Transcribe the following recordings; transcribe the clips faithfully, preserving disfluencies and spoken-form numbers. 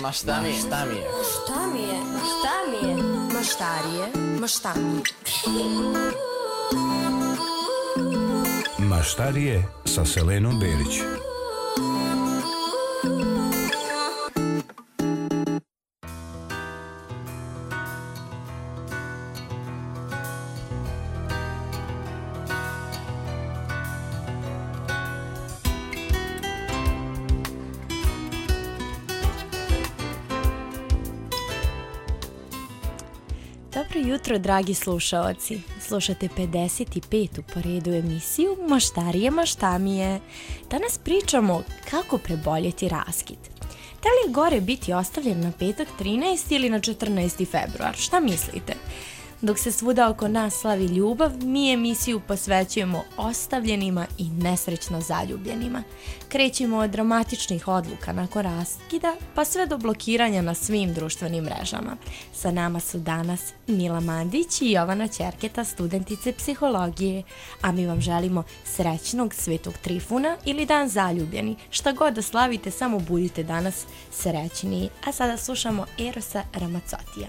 Ma šta mi je, šta mi je? Šta mi je, ma šta mi je? Maštarije, maštani. Maštarije sa Selenom Berić. Dobro jutro, dragi slušaoci. Slušate pedeset petu po redu emisiju Maštarije, maštamije. Danas pričamo kako preboljeti raskid. Da li je gore biti ostavljen na petak trinaesti ili na četrnaesti februar? Šta mislite? Dok se svuda oko nas slavi ljubav, mi emisiju posvećujemo ostavljenima i nesrećno zaljubljenima. Krećemo od dramatičnih odluka nakon raskida, pa sve do blokiranja na svim društvenim mrežama. Sa nama su danas Mila Mandić i Jovana Ćerketa, studentice psihologije, a mi vam želimo srećnog Svetog Trifuna ili dan zaljubljeni. Šta god da slavite, samo budite danas srećniji. A sada slušamo Erosa Ramazzotija.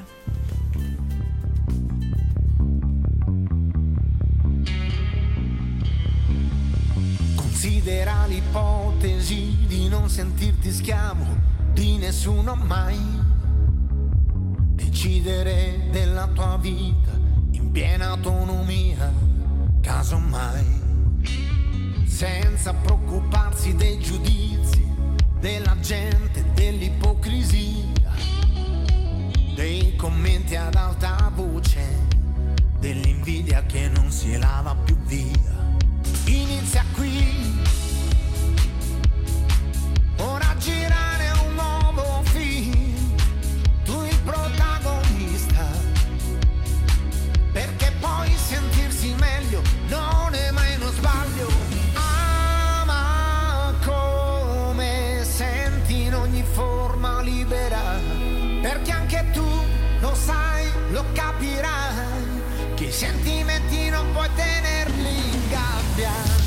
Considera l'ipotesi di non sentirti schiavo di nessuno mai. Decidere della tua vita in piena autonomia, casomai. Senza preoccuparsi dei giudizi della gente, dell'ipocrisia, dei commenti ad alta voce, dell'invidia che non si lava più via. Inizia qui, ora girare un nuovo film, tu il protagonista, perché poi sentirsi meglio non è mai uno sbaglio. Ama come senti in ogni forma libera, perché anche tu lo sai, lo capirai, che i sentimenti non puoi tenerli in gabbia.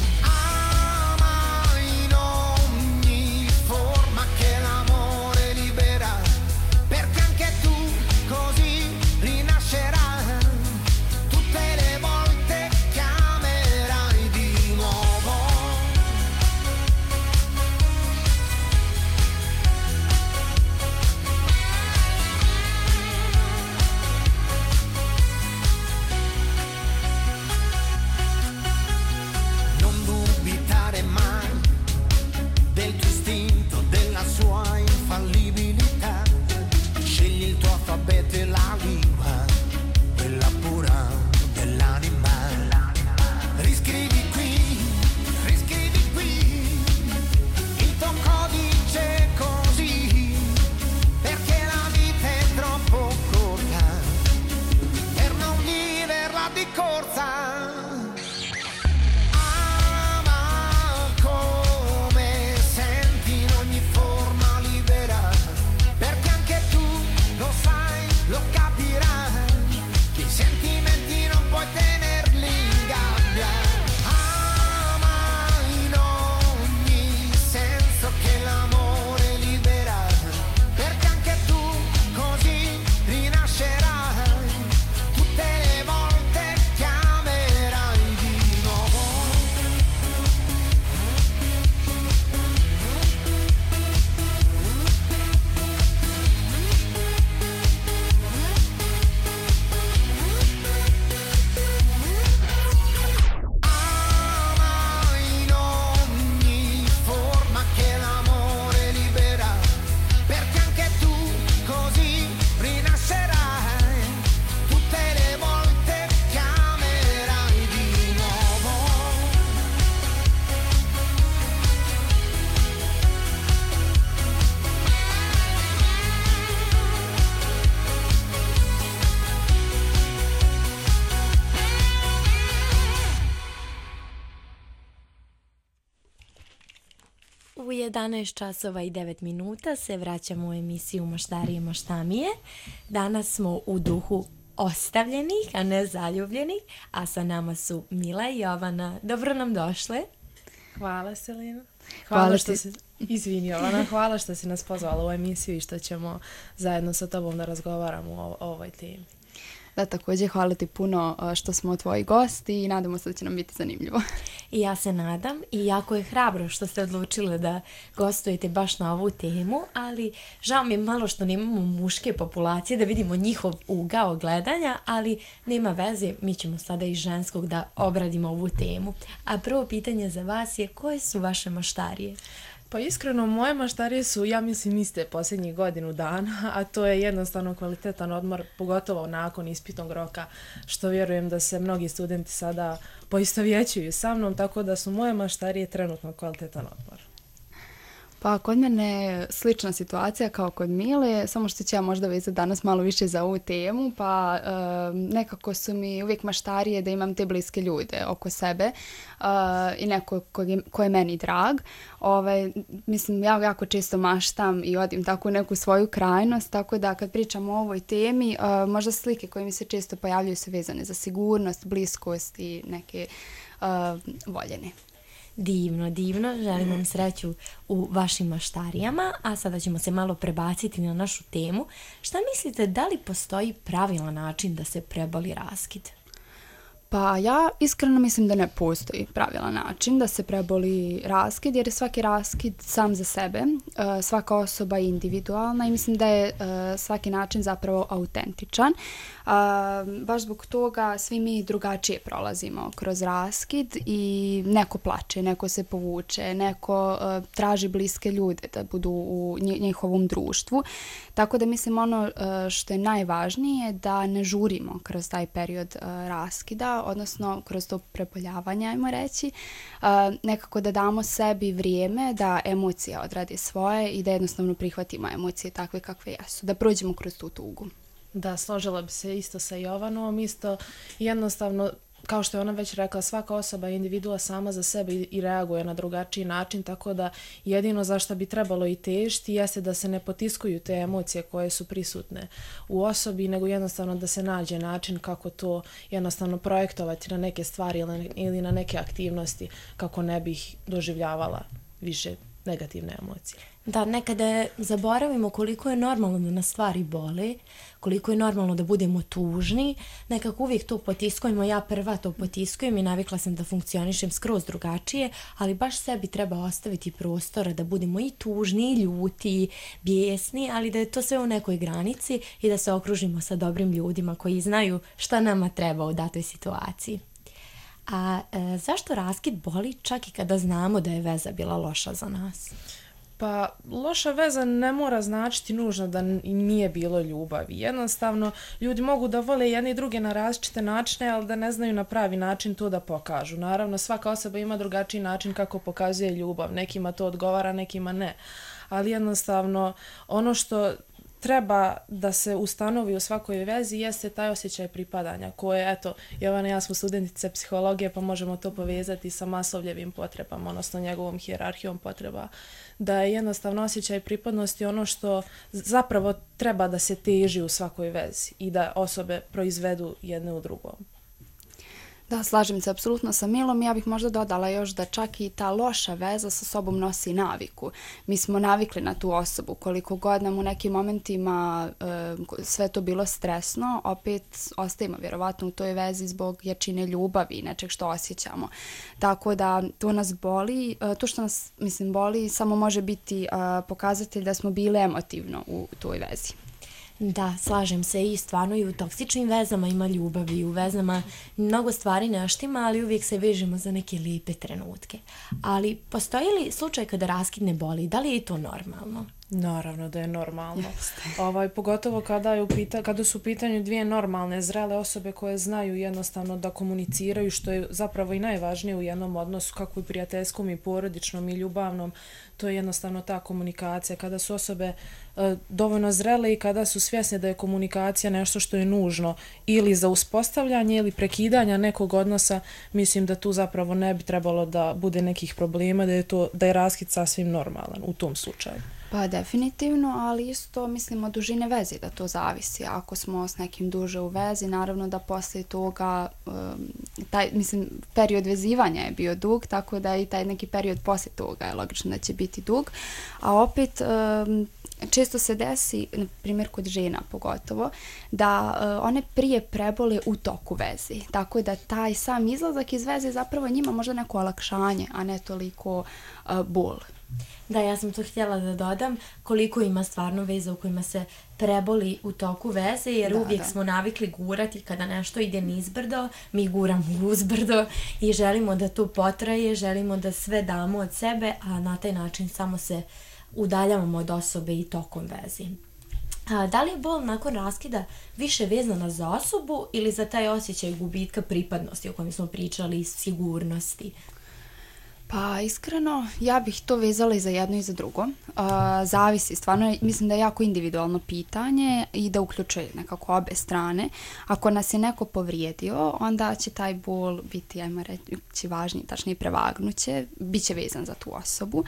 U jedanaest časova i devet minuta se vraćamo u emisiju Maštarije, maštamije. Danas smo u duhu ostavljenih, a ne zaljubljenih, a sa nama su Mila i Jovana. Dobro nam došle. Hvala, Selina. Hvala, hvala što ti. si, izvini Jovana, hvala što si nas pozvala u emisiju i što ćemo zajedno sa tobom da razgovaramo o, o ovoj temi. Da, također hvala ti puno što smo tvoji gosti i nadamo se da će nam biti zanimljivo. I ja se nadam i jako je hrabro što ste odlučili da gostujete baš na ovu temu, ali žao mi je malo što nemamo muške populacije da vidimo njihov ugao gledanja, ali nema veze, mi ćemo sada i ženskog da obradimo ovu temu. A prvo pitanje za vas je koje su vaše maštarije? Pa iskreno, moje maštarije su, ja mislim, iste posljednjih godinu dana, a to je jednostavno kvalitetan odmor, pogotovo nakon ispitnog roka, što vjerujem da se mnogi studenti sada poistovjećuju sa mnom, tako da su moje maštarije trenutno kvalitetan odmor. Pa kod mene je slična situacija kao kod Mile, samo što ću ja možda vezati danas malo više za ovu temu, pa e, nekako su mi uvijek maštarije da imam te bliske ljude oko sebe e, i neko ko je, ko je meni drag. Ovaj, mislim, ja jako često maštam i odim tako u neku svoju krajnost, tako da kad pričam o ovoj temi, e, možda slike koje mi se često pojavljaju su vezane za sigurnost, bliskost i neke e, voljene. Divno, divno. Želim vam sreću u vašim maštarijama, a sada ćemo se malo prebaciti na našu temu. Šta mislite, da li postoji pravilan način da se preboli raskid? Pa ja iskreno mislim da ne postoji pravilan način da se preboli raskid, jer je svaki raskid sam za sebe, svaka osoba je individualna i mislim da je svaki način zapravo autentičan. Baš zbog toga svi mi drugačije prolazimo kroz raskid i neko plače, neko se povuče, neko traži bliske ljude da budu u njihovom društvu. Tako da mislim ono što je najvažnije da ne žurimo kroz taj period raskida, odnosno kroz to preboljavanje, ajmo reći, uh, nekako da damo sebi vrijeme da emocija odradi svoje i da jednostavno prihvatimo emocije takve kakve jesu, da prođemo kroz tu tugu. Da, složila bi se isto sa Jovanom, isto jednostavno, kao što je ona već rekla, svaka osoba je individua sama za sebe i reaguje na drugačiji način, tako da jedino za što bi trebalo i težiti jeste da se ne potiskuju te emocije koje su prisutne u osobi, nego jednostavno da se nađe način kako to jednostavno projektovati na neke stvari ili na neke aktivnosti kako ne bih doživljavala više negativne emocije. Da, nekada zaboravimo koliko je normalno da nas stvari bole, koliko je normalno da budemo tužni, nekako uvijek to potiskujemo, ja prva to potiskujem i navikla sam da funkcionišem skroz drugačije, ali baš sebi treba ostaviti prostora da budemo i tužni, i ljuti, i bijesni, ali da je to sve u nekoj granici i da se okružimo sa dobrim ljudima koji znaju šta nama treba u datoj situaciji. A e, zašto raskid boli čak i kada znamo da je veza bila loša za nas? Pa loša veza ne mora značiti nužno da nije bilo ljubavi. Jednostavno, ljudi mogu da vole jedne i druge na različite načine, ali da ne znaju na pravi način to da pokažu. Naravno, svaka osoba ima drugačiji način kako pokazuje ljubav. Nekima to odgovara, nekima ne. Ali jednostavno, ono što treba da se ustanovi u svakoj vezi jeste taj osjećaj pripadanja koje, eto, Jovana i ja smo studentice psihologije pa možemo to povezati sa Maslowljevim potrebama, odnosno njegovom hijerarhijom potreba, da je jednostavno osjećaj pripadnosti ono što zapravo treba da se teži u svakoj vezi i da osobe proizvedu jedne u drugom. Da, slažem se apsolutno sa Milom. Ja bih možda dodala još da čak i ta loša veza sa sobom nosi naviku. Mi smo navikli na tu osobu. Koliko god nam u nekim momentima e, sve to bilo stresno, opet ostajemo vjerovatno u toj vezi zbog jačine ljubavi i nečeg što osjećamo. Tako da to nas boli. E, to što nas, mislim, boli samo može biti e, pokazatelj da smo bili emotivno u toj vezi. Da, slažem se i stvarno i u toksičnim vezama ima ljubavi i u vezama mnogo stvari ne štima, ali uvijek se vežemo za neke lijepe trenutke. Ali postoji li slučaj kada raskid ne boli? Da li je to normalno? Naravno da je normalno. Ovaj, pogotovo kada, je u pita, kada su u pitanju dvije normalne, zrele osobe koje znaju jednostavno da komuniciraju, što je zapravo i najvažnije u jednom odnosu, kako i prijateljskom i porodičnom i ljubavnom, to je jednostavno ta komunikacija. Kada su osobe e, dovoljno zrele i kada su svjesne da je komunikacija nešto što je nužno ili za uspostavljanje ili prekidanja nekog odnosa, mislim da tu zapravo ne bi trebalo da bude nekih problema, da je, to, da je raskid sasvim normalan u tom slučaju. Pa definitivno, ali isto mislim od dužine veze da to zavisi. Ako smo s nekim duže u vezi, naravno da poslije toga, um, taj, mislim, period vezivanja je bio dug, tako da i taj neki period poslije toga je logično da će biti dug. A opet, um, često se desi, na primjer kod žena pogotovo, da uh, one prije prebole u toku vezi. Tako da taj sam izlazak iz veze zapravo njima možda neko olakšanje, a ne toliko uh, bol. Da, ja sam to htjela da dodam koliko ima stvarno veza u kojima se preboli u toku veze, jer da, uvijek da. smo navikli gurati kada nešto ide nizbrdo, mi guramo uzbrdo i želimo da to potraje, želimo da sve damo od sebe, a na taj način samo se udaljavamo od osobe i tokom vezi. A, da li je bol nakon raskida više vezana za osobu ili za taj osjećaj gubitka pripadnosti o kojem smo pričali i sigurnosti? Pa iskreno, ja bih to vezala i za jedno i za drugo. Uh, zavisi, stvarno mislim da je jako individualno pitanje i da uključuje nekako obe strane. Ako nas je neko povrijedio, onda će taj bol biti, ajmo reći, važniji, tačnije prevagnuće, bit će vezan za tu osobu.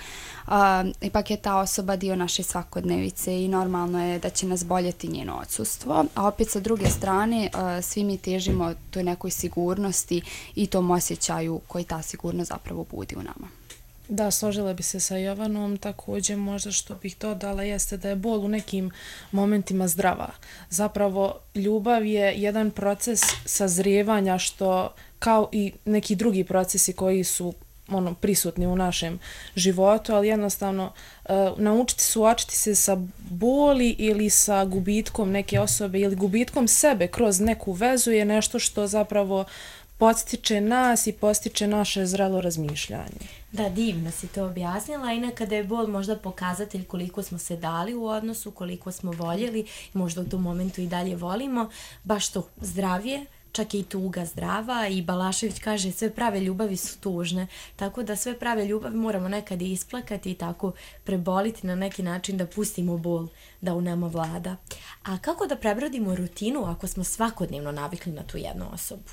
Uh, ipak je ta osoba dio naše svakodnevice i normalno je da će nas boljeti njeno odsustvo. A opet sa druge strane, uh, svi mi težimo toj nekoj sigurnosti i tom osjećaju koji ta sigurnost zapravo budi u nama. Da, složila bi se sa Jovanom, također možda što bih dodala jeste da je bol u nekim momentima zdrava. Zapravo ljubav je jedan proces sazrijevanja što kao i neki drugi procesi koji su ono prisutni u našem životu, ali jednostavno uh, naučiti suočiti se sa boli ili sa gubitkom neke osobe ili gubitkom sebe kroz neku vezu je nešto što zapravo podstiče nas i postiče naše zrelo razmišljanje. Da, divno si to objasnila i nekada je bol možda pokazatelj koliko smo se dali u odnosu, koliko smo voljeli, možda u tom momentu i dalje volimo, baš to zdravije, čak i tuga zdrava i Balašević kaže sve prave ljubavi su tužne, tako da sve prave ljubavi moramo nekad i isplakati i tako preboliti na neki način da pustimo bol da u nama vlada. A kako da prebrodimo rutinu ako smo svakodnevno navikli na tu jednu osobu?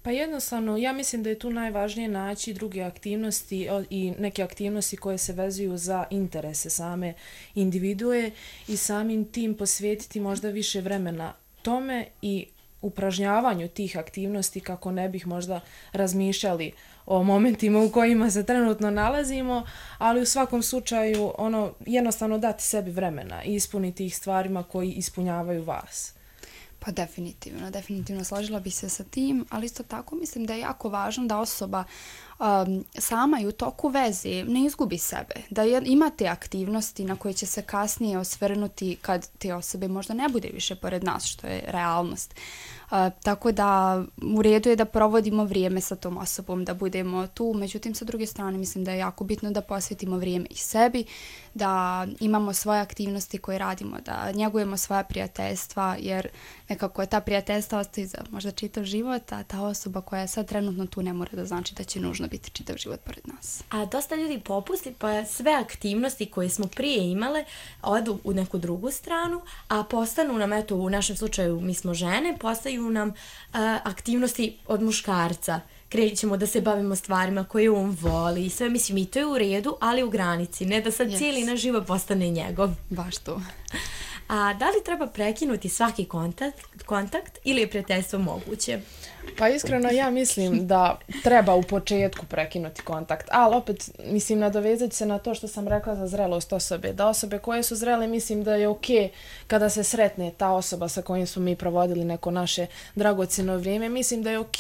Pa jednostavno, ja mislim da je tu najvažnije naći druge aktivnosti i neke aktivnosti koje se vezuju za interese same individue i samim tim posvetiti možda više vremena tome i upražnjavanju tih aktivnosti kako ne bih možda razmišljali o momentima u kojima se trenutno nalazimo, ali u svakom slučaju ono jednostavno dati sebi vremena i ispuniti ih stvarima koji ispunjavaju vas. Pa definitivno, definitivno složila bi se sa tim, ali isto tako mislim da je jako važno da osoba um, sama i u toku veze ne izgubi sebe, da je, ima te aktivnosti na koje će se kasnije osvrnuti kad te osobe možda ne bude više pored nas, što je realnost. Uh, tako da u redu je da provodimo vrijeme sa tom osobom, da budemo tu, međutim sa druge strane mislim da je jako bitno da posvetimo vrijeme i sebi, da imamo svoje aktivnosti koje radimo, da njegujemo svoja prijateljstva, jer nekako ta prijateljstva ostaje za možda čitav život, a ta osoba koja je sad trenutno tu ne mora da znači da će nužno biti čitav život pored nas. A dosta ljudi popusti pa sve aktivnosti koje smo prije imale odu u neku drugu stranu, a postanu nam, eto u našem slučaju mi smo žene, postaju nam uh, aktivnosti od muškarca. Krećemo da se bavimo stvarima koje on voli i sve, mislim i to je u redu, ali u granici, ne da sad yes. cijeli naš život postane njegov. Baš to. A da li treba prekinuti svaki kontakt, kontakt ili je prijateljstvo moguće? Pa iskreno ja mislim da treba u početku prekinuti kontakt, ali opet mislim nadovezati se na to što sam rekla za zrelost osobe, da osobe koje su zrele mislim da je ok kada se sretne ta osoba sa kojim smo mi provodili neko naše dragocjeno vrijeme, mislim da je ok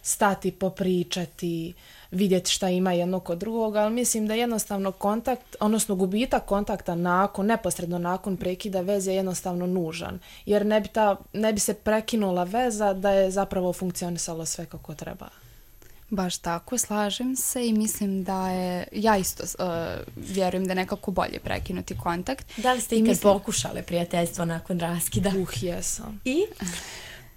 stati, popričati, vidjeti šta ima jedno kod drugog, ali mislim da jednostavno kontakt, odnosno gubitak kontakta nakon, neposredno nakon prekida veze je jednostavno nužan, jer ne bi, ta, ne bi se prekinula veza da je zapravo funkcionisalo sve kako treba. Baš tako, slažem se i mislim da je, ja isto uh, vjerujem da je nekako bolje prekinuti kontakt. Da li ste ikad mislim... pokušale prijateljstvo nakon raskida? Uh, jesam. I?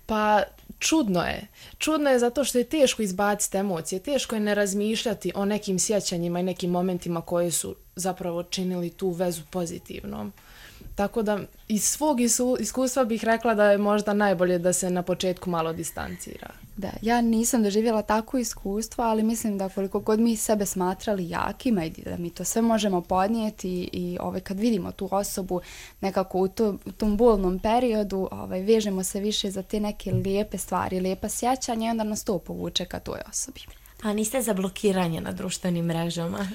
Pa čudno je. Čudno je zato što je teško izbaciti emocije, teško je ne razmišljati o nekim sjećanjima i nekim momentima koji su zapravo činili tu vezu pozitivnom. Tako da iz svog isu- iskustva bih rekla da je možda najbolje da se na početku malo distancira. Da, ja nisam doživjela takvo iskustvo, ali mislim da koliko god mi sebe smatrali jakima i da mi to sve možemo podnijeti i ovaj, kad vidimo tu osobu nekako u, to, u tom bolnom periodu, ovaj, vežemo se više za te neke lijepe stvari, lijepa sjećanja i onda nas to povuče ka toj osobi. A niste za blokiranje na društvenim mrežama?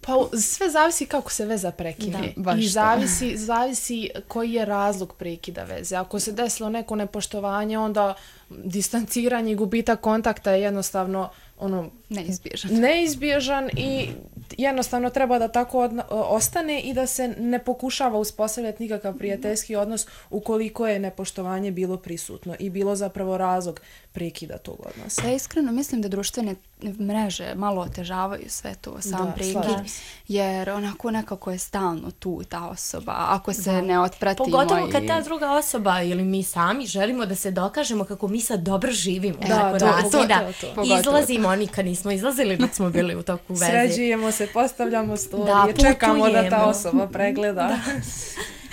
Pa sve zavisi kako se veza prekine. Da, baš I to. zavisi, zavisi koji je razlog prekida veze. Ako se desilo neko nepoštovanje, onda distanciranje i gubitak kontakta je jednostavno ono, Neizbježan. neizbježan i jednostavno treba da tako odna- ostane i da se ne pokušava uspostavljati nikakav prijateljski odnos ukoliko je nepoštovanje bilo prisutno i bilo zapravo razlog prekida tog odnosa. Ja iskreno mislim da društvene mreže malo otežavaju sve to, sam Da, prekid, slažem se. jer onako nekako je stalno tu ta osoba, ako se ne otpratimo. Pogotovo kad i- ta druga osoba ili mi sami želimo da se dokažemo kako mi sad dobro živimo. Da, nakon to, raskida. pogotovo to. Pogotovo Izlazimo, nikad nismo izlazili dok smo bili u toku veze. Sređujemo se, postavljamo storije, Da, čekamo da ta putujemo. osoba pregleda.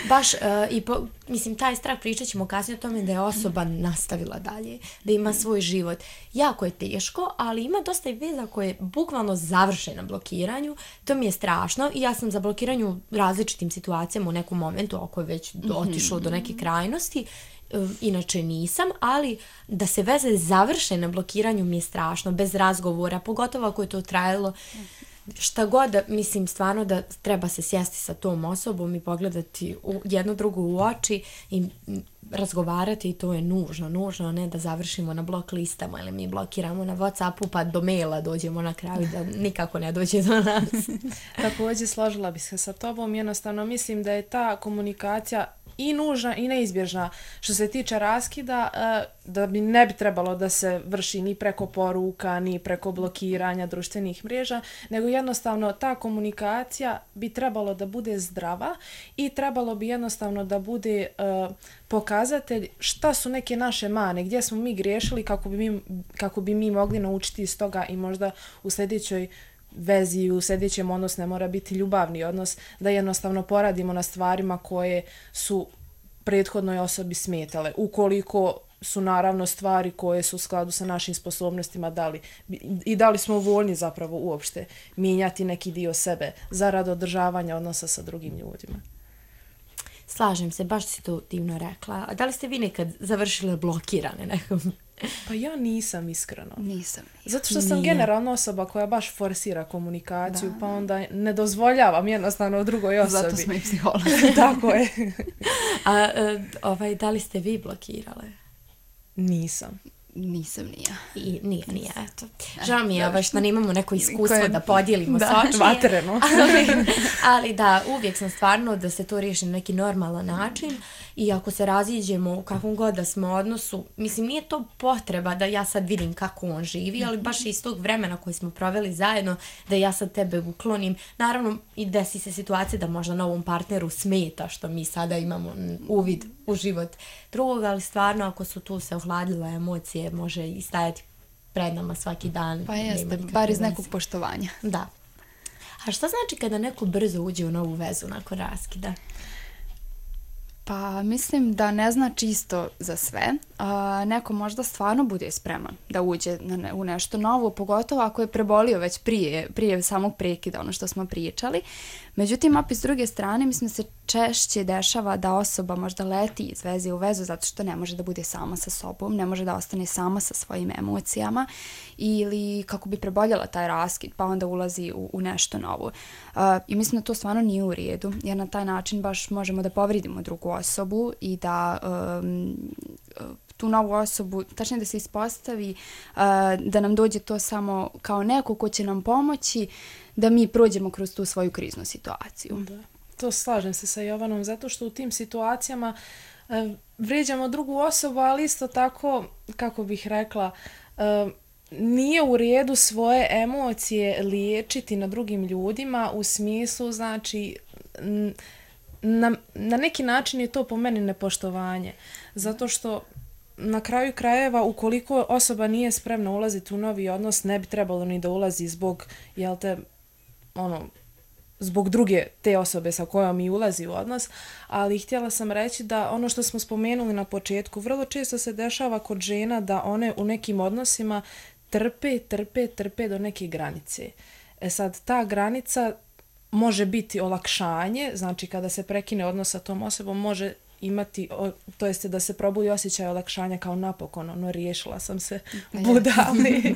Baš, uh, i po, mislim, taj strah pričat ćemo kasnije o tome da je osoba nastavila dalje, da ima svoj život. Jako je teško, ali ima dosta i veza koje bukvalno završe na blokiranju. To mi je strašno i ja sam za blokiranju u različitim situacijama u nekom momentu, ako je već otišlo do neke krajnosti. Uh, inače nisam, ali da se veze završe na blokiranju mi je strašno, bez razgovora, pogotovo ako je to trajalo šta god, mislim stvarno da treba se sjesti sa tom osobom i pogledati u jednu drugu u oči i m, razgovarati i to je nužno, nužno, ne da završimo na blok listama ili mi blokiramo na WhatsAppu pa do maila dođemo na kraju da nikako ne dođe do nas. Također složila bih se sa tobom, jednostavno mislim da je ta komunikacija i nužna i neizbježna što se tiče raskida, da bi ne bi trebalo da se vrši ni preko poruka, ni preko blokiranja društvenih mreža, nego jednostavno ta komunikacija bi trebalo da bude zdrava i trebalo bi jednostavno da bude uh, pokazatelj šta su neke naše mane, gdje smo mi griješili kako bi mi, kako bi mi mogli naučiti iz toga i možda u sljedećoj vezi, u sljedećem odnos ne mora biti ljubavni odnos, da jednostavno poradimo na stvarima koje su prethodnoj osobi smetale. Ukoliko su naravno stvari koje su u skladu sa našim sposobnostima dali i da li smo voljni zapravo uopšte mijenjati neki dio sebe zarad održavanja odnosa sa drugim ljudima. Slažem se, baš si to divno rekla. A da li ste vi nekad završile blokirane nekom? Pa ja nisam iskreno. Nisam. Zato što sam Nije. generalno osoba koja baš forsira komunikaciju, pa onda ne dozvoljavam jednostavno drugoj osobi. Zato smo i psiholozi. Tako je. A e, ovaj, da li ste vi blokirale? Nisam. Nisam ni ja. I nije, nije, eto. Žao mi je ovaj, što nemamo neko iskustvo Koje- da podijelimo Da, s očije. vatreno. ali, ali da, uvijek sam stvarno da se to riješi na neki normalan način i ako se raziđemo u kakvom god da smo odnosu, mislim nije to potreba da ja sad vidim kako on živi, ali baš iz tog vremena koje smo proveli zajedno, da ja sad tebe uklonim. Naravno i desi se situacija da možda novom partneru smeta što mi sada imamo uvid u život drugog, ali stvarno ako su tu se ohladile emocije, može i stajati pred nama svaki dan. Pa nema jeste, nikakve bar iz veze. nekog poštovanja. Da. A šta znači kada neko brzo uđe u novu vezu nakon raskida? Pa mislim da ne znači isto za sve. A, neko možda stvarno bude spreman da uđe na ne, u nešto novo, pogotovo ako je prebolio već prije, prije samog prekida, ono što smo pričali. Međutim, opet s druge strane, mislim da se češće dešava da osoba možda leti iz veze u vezu zato što ne može da bude sama sa sobom, ne može da ostane sama sa svojim emocijama ili kako bi preboljela taj raskid, pa onda ulazi u, u nešto novo. Uh, I mislim da to stvarno nije u redu, jer na taj način baš možemo da povridimo drugu osobu i da um, tu novu osobu, tačnije da se ispostavi uh, da nam dođe to samo kao neko ko će nam pomoći da mi prođemo kroz tu svoju kriznu situaciju. Da. To slažem se sa Jovanom, zato što u tim situacijama e, vrijeđamo drugu osobu, ali isto tako, kako bih rekla, e, nije u redu svoje emocije liječiti na drugim ljudima u smislu, znači, n- na, na neki način je to po meni nepoštovanje, zato što na kraju krajeva, ukoliko osoba nije spremna ulaziti u novi odnos, ne bi trebalo ni da ulazi zbog, jel te, ono, zbog druge te osobe sa kojom mi ulazi u odnos, ali htjela sam reći da ono što smo spomenuli na početku, vrlo često se dešava kod žena da one u nekim odnosima trpe, trpe, trpe do neke granice. E sad, ta granica može biti olakšanje, znači kada se prekine odnos sa tom osobom, može imati, to jeste da se probudi osjećaj olakšanja kao napokon, ono, riješila sam se budali.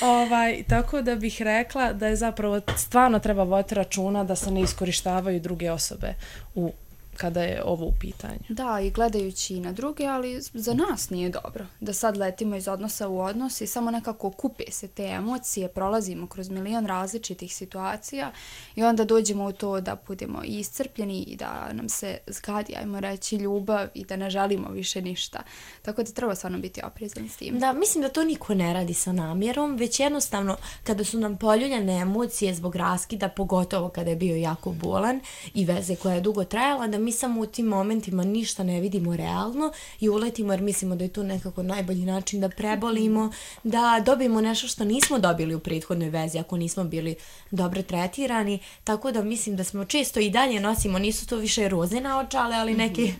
ovaj, tako da bih rekla da je zapravo stvarno treba voditi računa da se ne iskorištavaju druge osobe u kada je ovo u pitanju. Da, i gledajući i na druge, ali za nas nije dobro da sad letimo iz odnosa u odnos i samo nekako kupe se te emocije, prolazimo kroz milion različitih situacija i onda dođemo u to da budemo iscrpljeni i da nam se zgadi, ajmo reći, ljubav i da ne želimo više ništa. Tako da treba stvarno biti oprezan s tim. Da, mislim da to niko ne radi sa namjerom, već jednostavno kada su nam poljuljane emocije zbog raskida, pogotovo kada je bio jako bolan i veze koja je dugo trajala, da mi samo u tim momentima ništa ne vidimo realno i uletimo jer mislimo da je to nekako najbolji način da prebolimo, da dobijemo nešto što nismo dobili u prethodnoj vezi ako nismo bili dobro tretirani, tako da mislim da smo često i dalje nosimo, nisu to više roze naočale, ali neke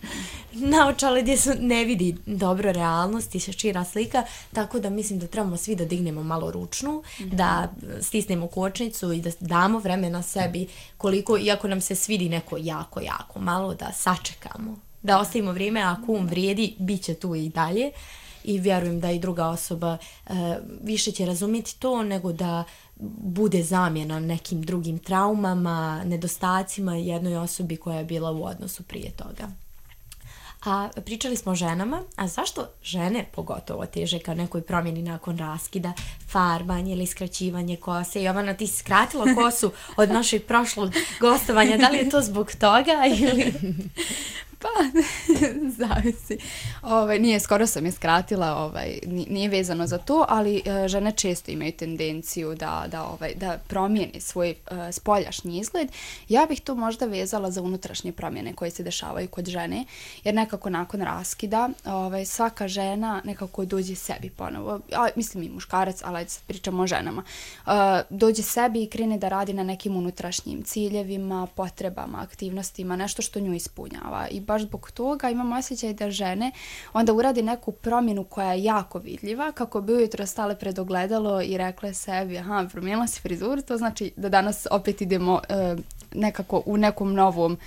naočale gdje se ne vidi dobro realnost i šira slika, tako da mislim da trebamo svi da dignemo malo ručnu, da stisnemo kočnicu i da damo vremena sebi koliko, iako nam se svidi neko jako, jako malo, da sačekamo, da ostavimo vrijeme, ako um vrijedi, bit će tu i dalje i vjerujem da i druga osoba e, više će razumjeti to nego da bude zamjena nekim drugim traumama, nedostacima jednoj osobi koja je bila u odnosu prije toga. A pričali smo o ženama, a zašto žene pogotovo teže ka nekoj promjeni nakon raskida, farbanje ili skraćivanje kose? Jovana, ti si skratila kosu od našeg prošlog gostovanja, da li je to zbog toga ili... Pa, zavisi. Ovaj, nije, skoro sam je skratila, ovaj, nije vezano za to, ali uh, žene često imaju tendenciju da, da, ovaj, da promijene svoj uh, spoljašnji izgled. Ja bih to možda vezala za unutrašnje promjene koje se dešavaju kod žene, jer nekako nakon raskida ovaj, svaka žena nekako dođe sebi ponovo. A, mislim i muškarac, ali sad pričamo o ženama. Uh, dođe sebi i krene da radi na nekim unutrašnjim ciljevima, potrebama, aktivnostima, nešto što nju ispunjava. I baš zbog toga imam osjećaj da žene onda uradi neku promjenu koja je jako vidljiva, kako bi ujutro stale pred ogledalo i rekle sebi, aha, promijenila si frizuru, to znači da danas opet idemo e, nekako u nekom novom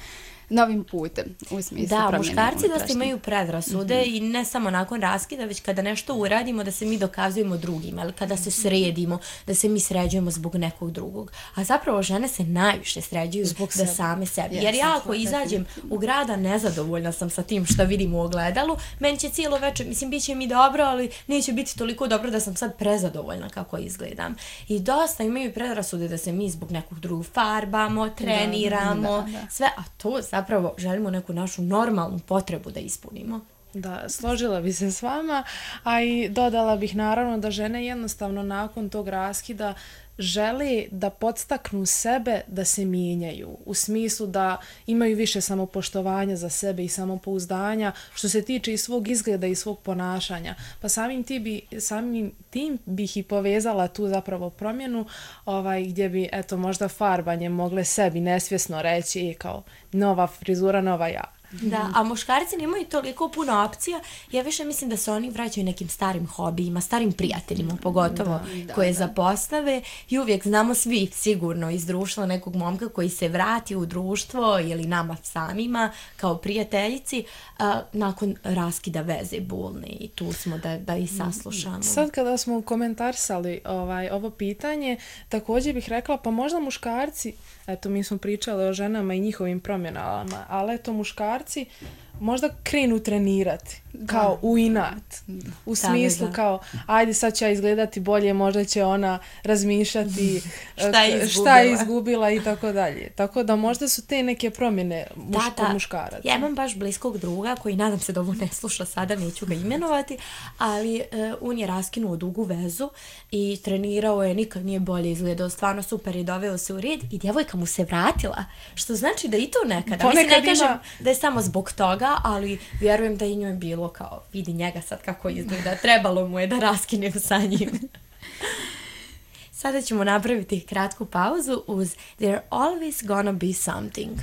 novim putem, u smislu da, promjene. Da, muškarci unutrašnje. dosta imaju predrasude mm-hmm. i ne samo nakon raskida, već kada nešto uradimo da se mi dokazujemo drugima, ili kada se sredimo, da se mi sređujemo zbog nekog drugog. A zapravo žene se najviše sređuju zbog da sebe. Same sebi. Yes, jer ja ako izađem u grada, nezadovoljna sam sa tim što vidim u ogledalu, meni će cijelo večer, mislim, bit će mi dobro, ali neće biti toliko dobro da sam sad prezadovoljna kako izgledam. I dosta imaju predrasude da se mi zbog nekog drugog farbamo, treniramo, da, da, da. sve, a to zapravo želimo neku našu normalnu potrebu da ispunimo. Da, složila bi se s vama, a i dodala bih naravno da žene jednostavno nakon tog raskida žele da podstaknu sebe da se mijenjaju, u smislu da imaju više samopoštovanja za sebe i samopouzdanja što se tiče i svog izgleda i svog ponašanja. Pa samim, ti bi, samim tim bih i povezala tu zapravo promjenu ovaj, gdje bi eto možda farbanje mogle sebi nesvjesno reći kao nova frizura, nova ja. Da, a muškarci nemaju toliko puno opcija. Ja više mislim da se oni vraćaju nekim starim hobijima, starim prijateljima pogotovo, da, da, koje da. zapostave i uvijek znamo svi sigurno iz društva nekog momka koji se vrati u društvo ili nama samima kao prijateljici a, nakon raskida veze bolne i tu smo da, da i saslušamo. Sad kada smo komentarisali ovaj, ovo pitanje, također bih rekla pa možda muškarci, eto mi smo pričali o ženama i njihovim promjenama, ali eto muškarci možda krenu trenirati kao u inat. U smislu da, da. kao ajde sad će ja izgledati bolje, možda će ona razmišljati šta, je šta je izgubila i tako dalje. Tako da možda su te neke promjene muš, da, da. muškaraca. Ja imam baš bliskog druga koji nadam se da ovo ne sluša sada, neću ga imenovati, ali uh, on je raskinuo dugu vezu i trenirao je, nikad nije bolje izgledao, stvarno super i doveo se u red i djevojka mu se vratila, što znači da i to nekada. Ponekad mislim, ne kažem ima... da je samo zbog toga, ali vjerujem da i njoj bilo kao, vidi njega sad kako izgleda, trebalo mu je da raskinem sa njim. Sada ćemo napraviti kratku pauzu uz There's Always Gonna Be Something.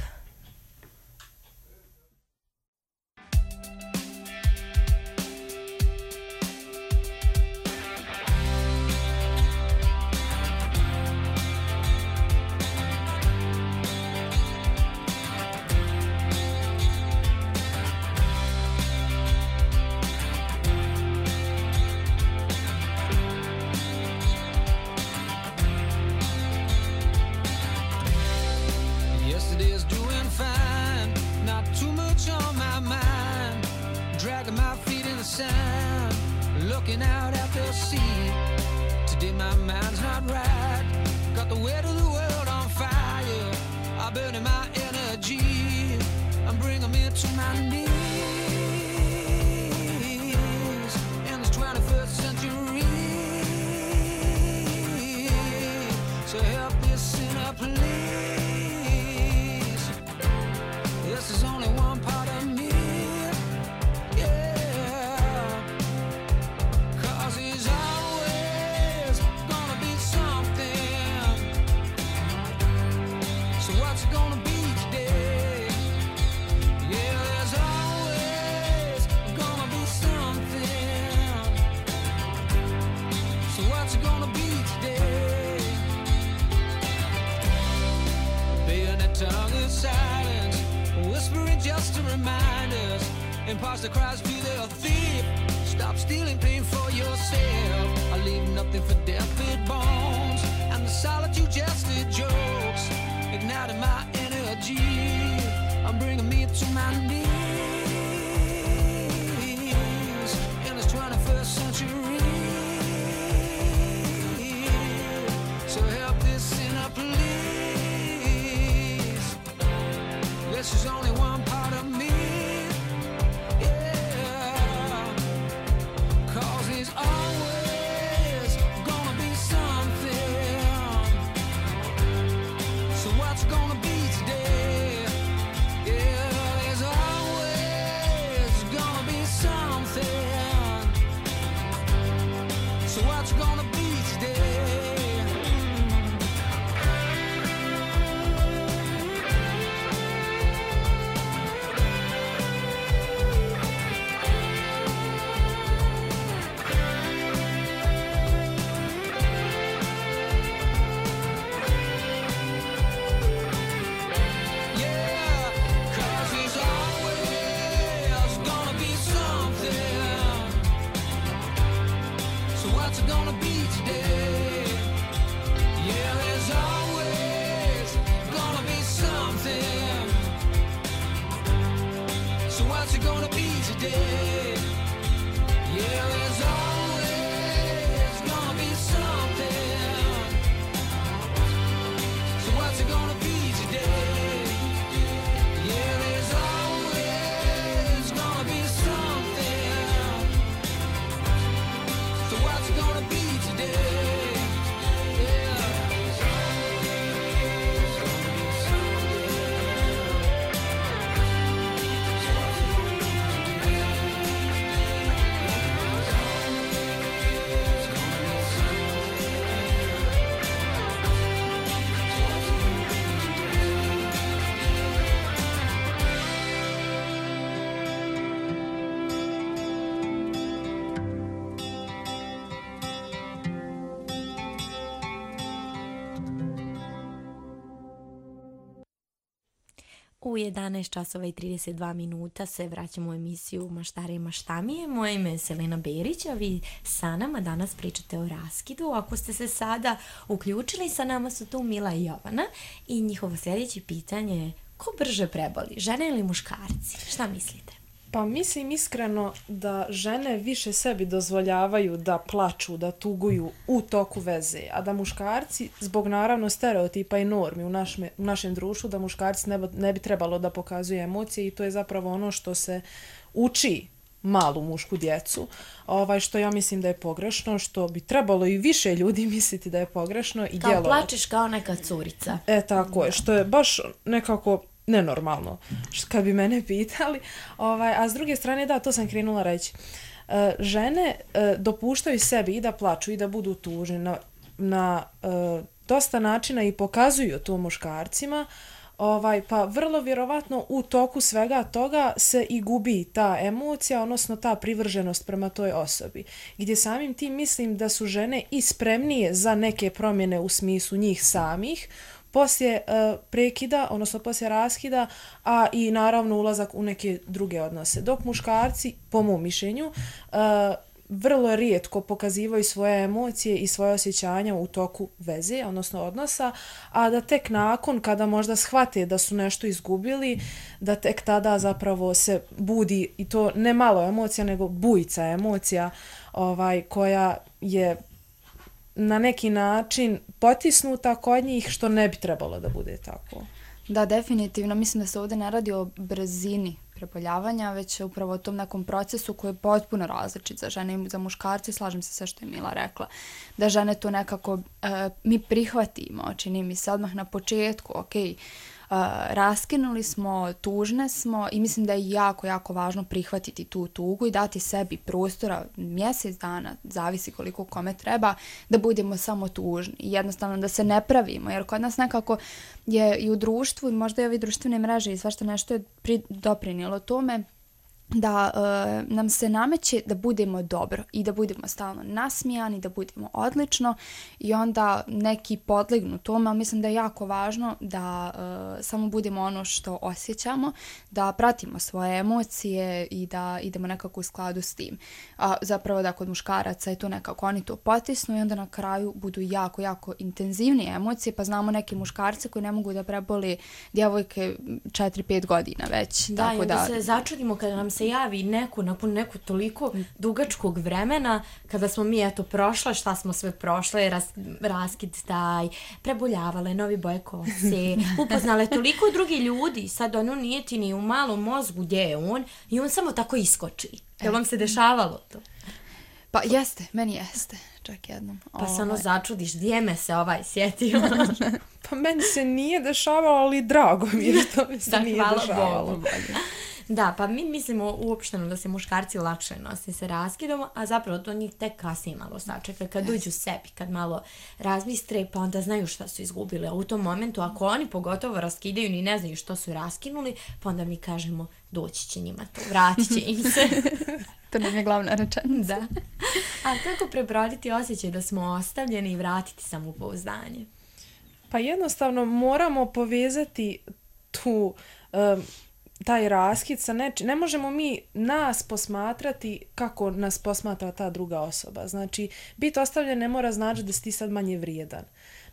Looking out at the sea. Today my mind's not right. Got the weight of the world on fire. I'm burning my energy. I'm bringing me to my knees in this twenty-first century. So help me, sinner, please. This is only one part of me. Just to remind us, imposter cries, be the thief. Stop stealing pain for yourself. I leave nothing for deathbed bones, and the solitude just the jokes, igniting my energy. I'm bringing me to my knees in this twenty-first century. So help this sinner, please. This is only one part of me, yeah. Cause there's always gonna be something. So what's gonna be today? Yeah, there's always gonna be something. So what's gonna be today? U jedanaest časova i trideset dva minuta se vraćamo u emisiju Maštare i maštamije. Moje ime je Selena Berić, a vi sa nama danas pričate o raskidu. Ako ste se sada uključili, sa nama su tu Mila i Jovana i njihovo sljedeće pitanje je: ko brže preboli, žene ili muškarci? Šta mislite? Pa mislim iskreno da žene više sebi dozvoljavaju da plaču, da tuguju u toku veze, a da muškarci, zbog naravno stereotipa i normi u, našme, u našem društvu, da muškarci ne, ne bi trebalo da pokazuju emocije i to je zapravo ono što se uči malu mušku djecu, ovaj, što ja mislim da je pogrešno, što bi trebalo i više ljudi misliti da je pogrešno i kao djelovati. Plačeš kao neka curica. E, tako je, što je baš nekako nenormalno, kad bi mene pitali. Ovaj, a s druge strane, da, to sam krenula reći. E, žene e, dopuštaju sebi i da plaču i da budu tužne na na uh, dosta načina i pokazuju to muškarcima, ovaj, pa vrlo vjerovatno u toku svega toga se i gubi ta emocija, odnosno ta privrženost prema toj osobi. Gdje samim tim mislim da su žene i spremnije za neke promjene u smislu njih samih, poslije uh, prekida, odnosno poslije raskida, a i naravno ulazak u neke druge odnose. Dok muškarci, po mom mišljenju, uh, vrlo rijetko pokazivaju svoje emocije i svoje osjećanja u toku veze, odnosno odnosa, a da tek nakon, kada možda shvate da su nešto izgubili, da tek tada zapravo se budi, i to ne malo emocija, nego bujica emocija, ovaj, koja je na neki način potisnuta kod njih, što ne bi trebalo da bude tako. Da, definitivno. Mislim da se ovdje ne radi o brzini preboljavanja, već upravo o tom nekom procesu koji je potpuno različit za žene i za muškarce. Slažem se sve što je Mila rekla. Da žene to nekako e, mi prihvatimo, čini mi se odmah na početku, ok, Uh, raskinuli smo, tužne smo i mislim da je jako, jako važno prihvatiti tu tugu i dati sebi prostora mjesec dana, zavisi koliko kome treba, da budemo samo tužni i jednostavno da se ne pravimo, jer kod nas nekako je i u društvu i možda i ovi društvene mreže i svašta nešto je pri, doprinijelo tome da uh, nam se nameće da budemo dobro i da budemo stalno nasmijani, da budemo odlično i onda neki podlegnu tome, ali mislim da je jako važno da uh, samo budemo ono što osjećamo, da pratimo svoje emocije i da idemo nekako u skladu s tim. A zapravo da kod muškaraca je to nekako oni to potisnu i onda na kraju budu jako, jako intenzivnije emocije, pa znamo neke muškarce koji ne mogu da preboli djevojke četiri pet godina već. Da, tako i onda da se začudimo kada nam se javi neko nakon neko toliko dugačkog vremena, kada smo mi eto prošle, šta smo sve prošle, ras, raskid taj, preboljavale, novi boje kose, upoznale toliko drugi ljudi, sad ono nije ti ni u malom mozgu gdje je on i on samo tako iskoči. Jel vam se dešavalo to? Pa jeste, meni jeste, čak jednom. Pa se ono začudiš, gdje me se ovaj sjetio? Pa meni se nije dešavalo, ali drago mi je što mi se da, nije dešavalo. Bogu. Da, pa mi mislimo uopšteno da se muškarci lakše nose sa raskidom, a zapravo to njih tek kasnije malo sačeka, kad dođu sebi, kad malo razmistre, pa onda znaju šta su izgubili. A u tom momentu, ako oni pogotovo raskidaju ni ne znaju što su raskinuli, pa onda mi kažemo, doći će njima to, vratit će im se. To nam je glavna rečenica. Da. A kako prebroditi osjećaj da smo ostavljeni i vratiti samopouzdanje? Pa jednostavno moramo povezati tu... Um, taj raskid sa nečim. Ne možemo mi nas posmatrati kako nas posmatra ta druga osoba. Znači, biti ostavljen ne mora znači da si ti sad manje vrijedan.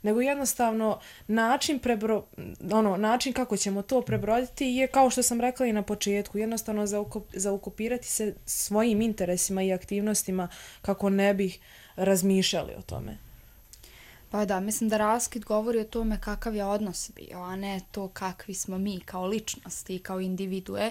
Nego jednostavno način, prebro, ono, način kako ćemo to prebroditi je, kao što sam rekla i na početku, jednostavno zaokupirati se svojim interesima i aktivnostima kako ne bi razmišljali o tome. Pa da, mislim da raskid govori o tome kakav je odnos bio, a ne to kakvi smo mi kao ličnosti, kao individue.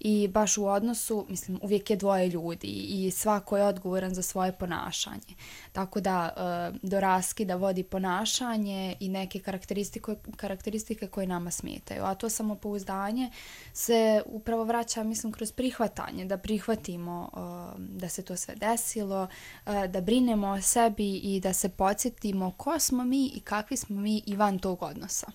I baš u odnosu, mislim, uvijek je dvoje ljudi i svako je odgovoran za svoje ponašanje. Tako da do raskida vodi ponašanje i neke karakteristike, karakteristike koje nama smetaju. A to samopouzdanje se upravo vraća, mislim, kroz prihvatanje, da prihvatimo da se to sve desilo, da brinemo o sebi i da se podsjetimo ko smo mi i kakvi smo mi i van tog odnosa.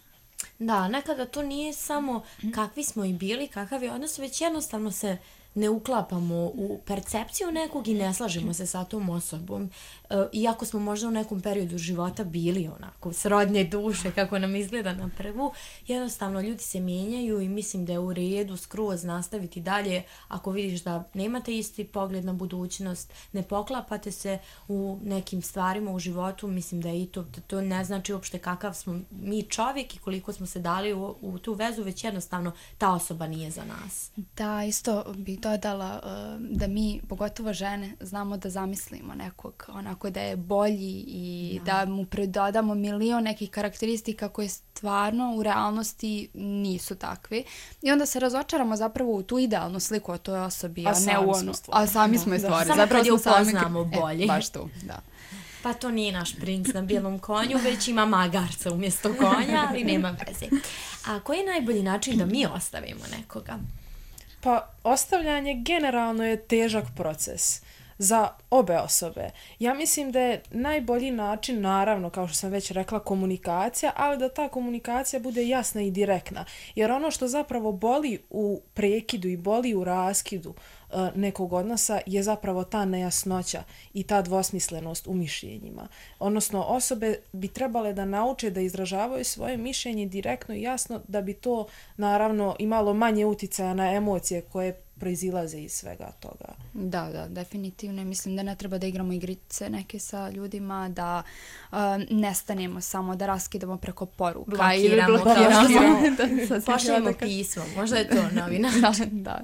Da, nekada to nije samo kakvi smo i bili, kakav je odnos, već jednostavno se ne uklapamo u percepciju nekog i ne slažemo se sa tom osobom. E, iako smo možda u nekom periodu života bili onako srodne duše, kako nam izgleda na prvu, jednostavno ljudi se mijenjaju i mislim da je u redu skroz nastaviti dalje. Ako vidiš da nemate isti pogled na budućnost, ne poklapate se u nekim stvarima u životu, mislim da je i to, da to ne znači uopšte kakav smo mi čovjek i koliko smo se dali u, u tu vezu, već jednostavno ta osoba nije za nas. Da, isto bi dodala uh, da mi, pogotovo žene, znamo da zamislimo nekog onako da je bolji i da, da mu pridodamo milion nekih karakteristika koje stvarno u realnosti nisu takvi. I onda se razočaramo zapravo u tu idealnu sliku o toj osobi, a, a ne u onu. A sami smo je stvorili. Samo kad je upoznamo bolje. E, baš tu, da. Pa to nije naš princ na bijelom konju, već ima magarca umjesto konja, ali nema veze. A koji je najbolji način da mi ostavimo nekoga? Pa ostavljanje generalno je težak proces. za obe osobe. Ja mislim da je najbolji način, naravno, kao što sam već rekla, komunikacija, ali da ta komunikacija bude jasna i direktna. Jer ono što zapravo boli u prekidu i boli u raskidu uh, nekog odnosa je zapravo ta nejasnoća i ta dvosmislenost u mišljenjima. Odnosno, osobe bi trebale da nauče da izražavaju svoje mišljenje direktno i jasno, da bi to naravno imalo manje uticaja na emocije koje proizilaze iz svega toga. Da, da, definitivno. Mislim da ne treba da igramo igrice neke sa ljudima, da uh, nestanemo samo, da raskidamo preko poruka. Blokiramo, ili blokiramo. Pošaljemo pismo, možda je to novi način. Da,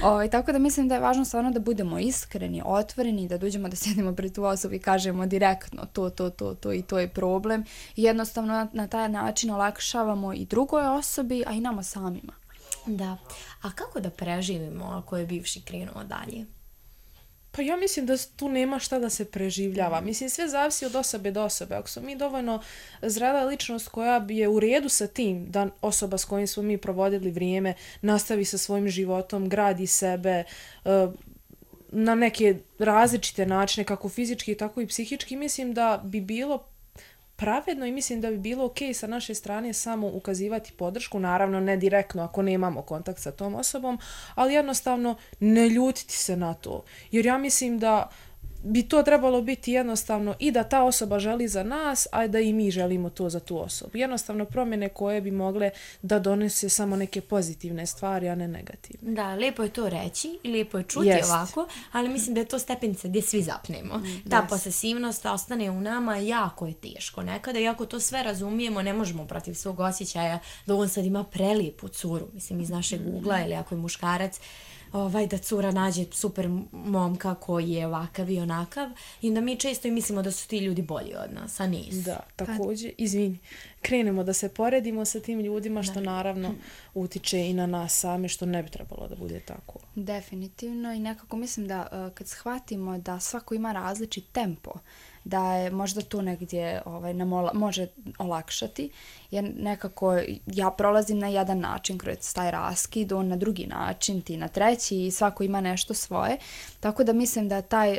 da. O, tako da mislim da je važno stvarno da budemo iskreni, otvoreni, da dođemo da sjedimo pred tu osobu i kažemo direktno to, to, to, to i to je problem. I jednostavno na, na taj način olakšavamo i drugoj osobi, a i nama samima. Da. A kako da preživimo ako je bivši krenuo dalje? Pa ja mislim da tu nema šta da se preživljava. Mislim, sve zavisi od osobe do osobe. Ako smo mi dovoljno zrela ličnost koja bi je u redu sa tim da osoba s kojim smo mi provodili vrijeme nastavi sa svojim životom, gradi sebe uh, na neke različite načine, kako fizički, tako i psihički, mislim da bi bilo pravedno i mislim da bi bilo ok sa naše strane samo ukazivati podršku, naravno ne direktno ako nemamo kontakt sa tom osobom, ali jednostavno ne ljutiti se na to. Jer ja mislim da bi to trebalo biti jednostavno i da ta osoba želi za nas, a da i mi želimo to za tu osobu. Jednostavno promjene koje bi mogle da donese samo neke pozitivne stvari, a ne negativne. Da, lijepo je to reći i lijepo je čuti Jest. ovako, ali mislim da je to stepenica gdje svi zapnemo. Mm, Ta yes. posesivnost ostane u nama, jako je teško. Nekada, iako to sve razumijemo, ne možemo protiv svog osjećaja da on sad ima prelijepu curu, mislim iz našeg ugla, ili ako je muškarac, ovaj, da cura nađe super momka koji je ovakav i onakav i da mi često i mislimo da su ti ljudi bolji od nas, a nisu. Da, također, izvini, krenemo da se poredimo sa tim ljudima, što naravno utiče i na nas same, što ne bi trebalo da bude tako. Definitivno i nekako mislim da uh, kad shvatimo da svako ima različit tempo, da je možda to negdje ovaj, nam ola, može olakšati, jer nekako ja prolazim na jedan način kroz taj raskid, on na drugi način, ti na treći i svako ima nešto svoje, tako da mislim da taj uh,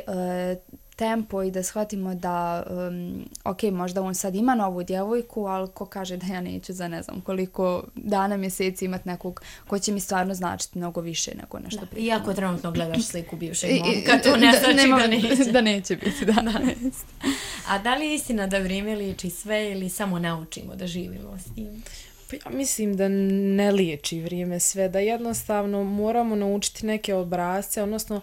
tempo i da shvatimo da um, ok, možda on sad ima novu djevojku, ali ko kaže da ja neću za ne znam koliko dana, mjeseci imat nekog ko će mi stvarno značiti mnogo više nego nešto da. prije. Iako trenutno gledaš sliku bivšeg momka, to ne znači da, nema, da neće. Da neće biti, da. da. A da li je istina da vrijeme liječi sve ili samo naučimo da živimo s tim? Pa ja mislim da ne liječi vrijeme sve, da jednostavno moramo naučiti neke obrasce, odnosno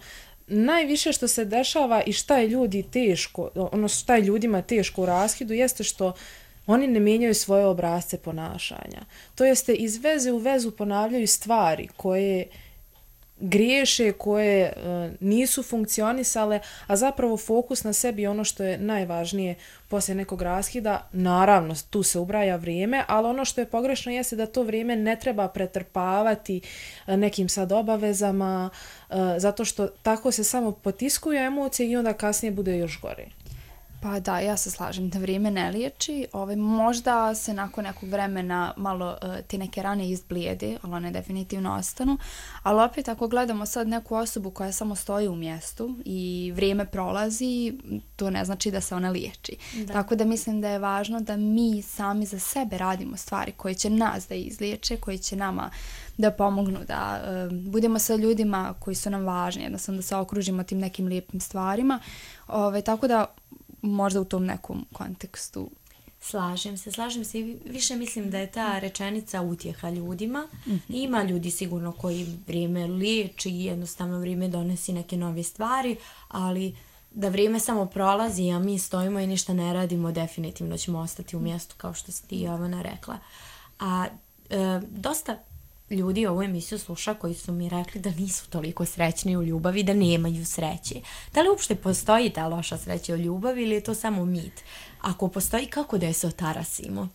najviše što se dešava i šta je ljudi teško, ono šta je ljudima teško u raskidu jeste što oni ne mijenjaju svoje obrasce ponašanja. To jeste iz veze u vezu ponavljaju stvari koje griješe, koje uh, nisu funkcionisale, a zapravo fokus na sebi je ono što je najvažnije poslije nekog raskida. Naravno, tu se ubraja vrijeme, ali ono što je pogrešno jeste da to vrijeme ne treba pretrpavati uh, nekim sad obavezama, uh, zato što tako se samo potiskuju emocije i onda kasnije bude još gore. Pa da, ja se slažem da vrijeme ne liječi. Ovaj, možda se nakon nekog vremena malo uh, ti neke rane izblijede, ali one definitivno ostanu. Ali opet ako gledamo sad neku osobu koja samo stoji u mjestu i vrijeme prolazi, to ne znači da se ona liječi. Da. Tako da mislim da je važno da mi sami za sebe radimo stvari koje će nas da izliječe, koje će nama da pomognu, da uh, budemo sa ljudima koji su nam važni, jednostavno da se okružimo tim nekim lijepim stvarima. Ovaj, tako da možda u tom nekom kontekstu. Slažem se, slažem se i više mislim da je ta rečenica utjeha ljudima. Mm-hmm. Ima ljudi sigurno koji vrijeme liječi i jednostavno vrijeme donesi neke nove stvari, ali da vrijeme samo prolazi, a mi stojimo i ništa ne radimo, definitivno ćemo ostati u mjestu kao što si ti, Jovana, rekla. A e, dosta ljudi ovu emisiju sluša koji su mi rekli da nisu toliko srećni u ljubavi, da nemaju sreće. Da li uopšte postoji ta loša sreća u ljubavi ili je to samo mit? Ako postoji, kako da je se otarasimo?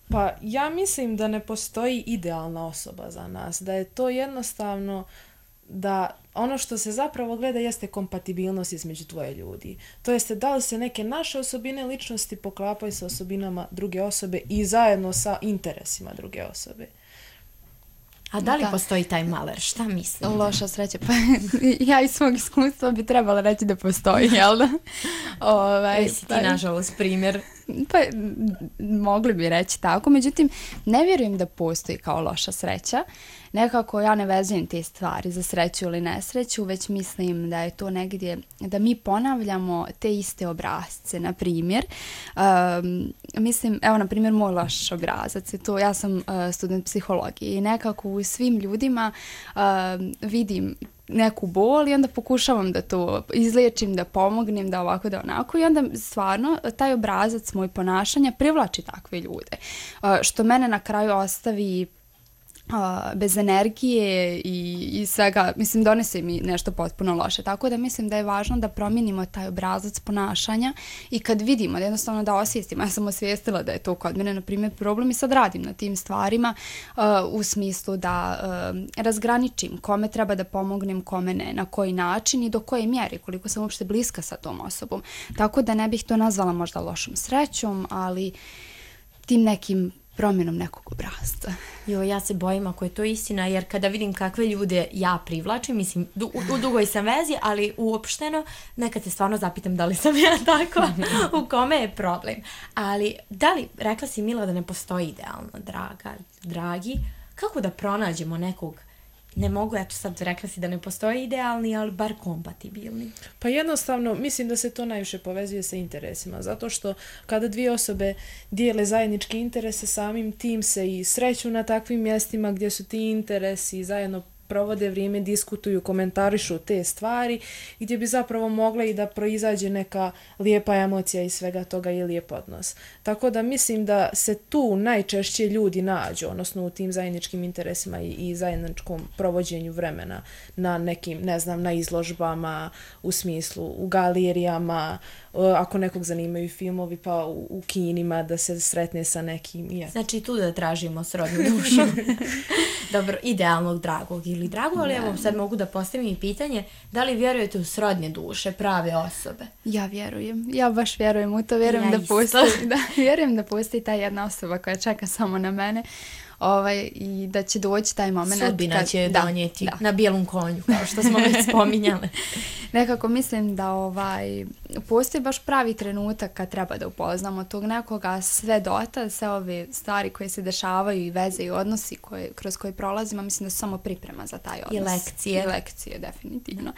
Pa ja mislim da ne postoji idealna osoba za nas, da je to jednostavno da ono što se zapravo gleda jeste kompatibilnost između dvoje ljudi. To jeste da li se neke naše osobine ličnosti poklapaju sa osobinama druge osobe i zajedno sa interesima druge osobe. A da li Da. postoji taj maler? Šta mislite? Loša sreća, pa ja iz svog iskustva bi trebala reći da postoji, jel da? Ovaj, Jesi ti, pa- nažalost, primjer? Pa, m, mogli bi reći tako, međutim, ne vjerujem da postoji kao loša sreća. Nekako ja ne vezujem te stvari za sreću ili nesreću, već mislim da je to negdje, da mi ponavljamo te iste obrazce, na primjer. Um, mislim, evo, na primjer, moj loš obrazac je to, ja sam uh, student psihologije i nekako u svim ljudima um, vidim neku bol i onda pokušavam da to izliječim, da pomognem, da ovako, da onako i onda stvarno taj obrazac moj ponašanja privlači takve ljude. Uh, što mene na kraju ostavi uh, bez energije i, i svega, mislim, donese mi nešto potpuno loše. Tako da mislim da je važno da promijenimo taj obrazac ponašanja i kad vidimo, da jednostavno da osvijestimo. Ja sam osvijestila da je to kod mene, na primjer, problem i sad radim na tim stvarima uh, u smislu da uh, razgraničim kome treba da pomognem, kome ne, na koji način i do koje mjere, koliko sam uopšte bliska sa tom osobom. Tako da ne bih to nazvala možda lošom srećom, ali tim nekim promjenom nekog obrazca. Jo, ja se bojim ako je to istina, jer kada vidim kakve ljude ja privlačim, mislim, du, u, u dugoj sam vezi, ali uopšteno, nekad se stvarno zapitam da li sam ja tako, u kome je problem. Ali, da li, rekla si Mila da ne postoji idealno, draga, dragi, kako da pronađemo nekog, ne mogu, eto sad rekla si da ne postoji idealni, ali bar kompatibilni. Pa jednostavno, mislim da se to najviše povezuje sa interesima, zato što kada dvije osobe dijele zajedničke interese, samim tim se i sreću na takvim mjestima gdje su ti interesi, zajedno provode vrijeme, diskutuju, komentarišu te stvari, gdje bi zapravo mogla i da proizađe neka lijepa emocija iz svega toga i lijep odnos. Tako da mislim da se tu najčešće ljudi nađu, odnosno u tim zajedničkim interesima i, i zajedničkom provođenju vremena na nekim, ne znam, na izložbama, u smislu, u galerijama, ako nekog zanimaju filmovi, pa u, u kinima da se sretne sa nekim. I znači tu da tražimo srodnu dušu. Dobro, idealnog, dragog ili drago, ali evo sad mogu da postavim i pitanje, da li vjerujete u srodne duše, prave osobe? Ja vjerujem, ja baš vjerujem u to, vjerujem Ja da isto. postoji, da, vjerujem da postoji ta jedna osoba koja čeka samo na mene, ovaj, i da će doći taj moment. Sudbina kad, će da, donijeti da. na bijelom konju, kao što smo već spominjale. Nekako mislim da ovaj, postoji baš pravi trenutak kad treba da upoznamo tog nekoga, sve dota, sve ove stvari koje se dešavaju i veze i odnosi koje, kroz koje prolazimo, mislim da su samo priprema za taj odnos. I lekcije. I lekcije, definitivno.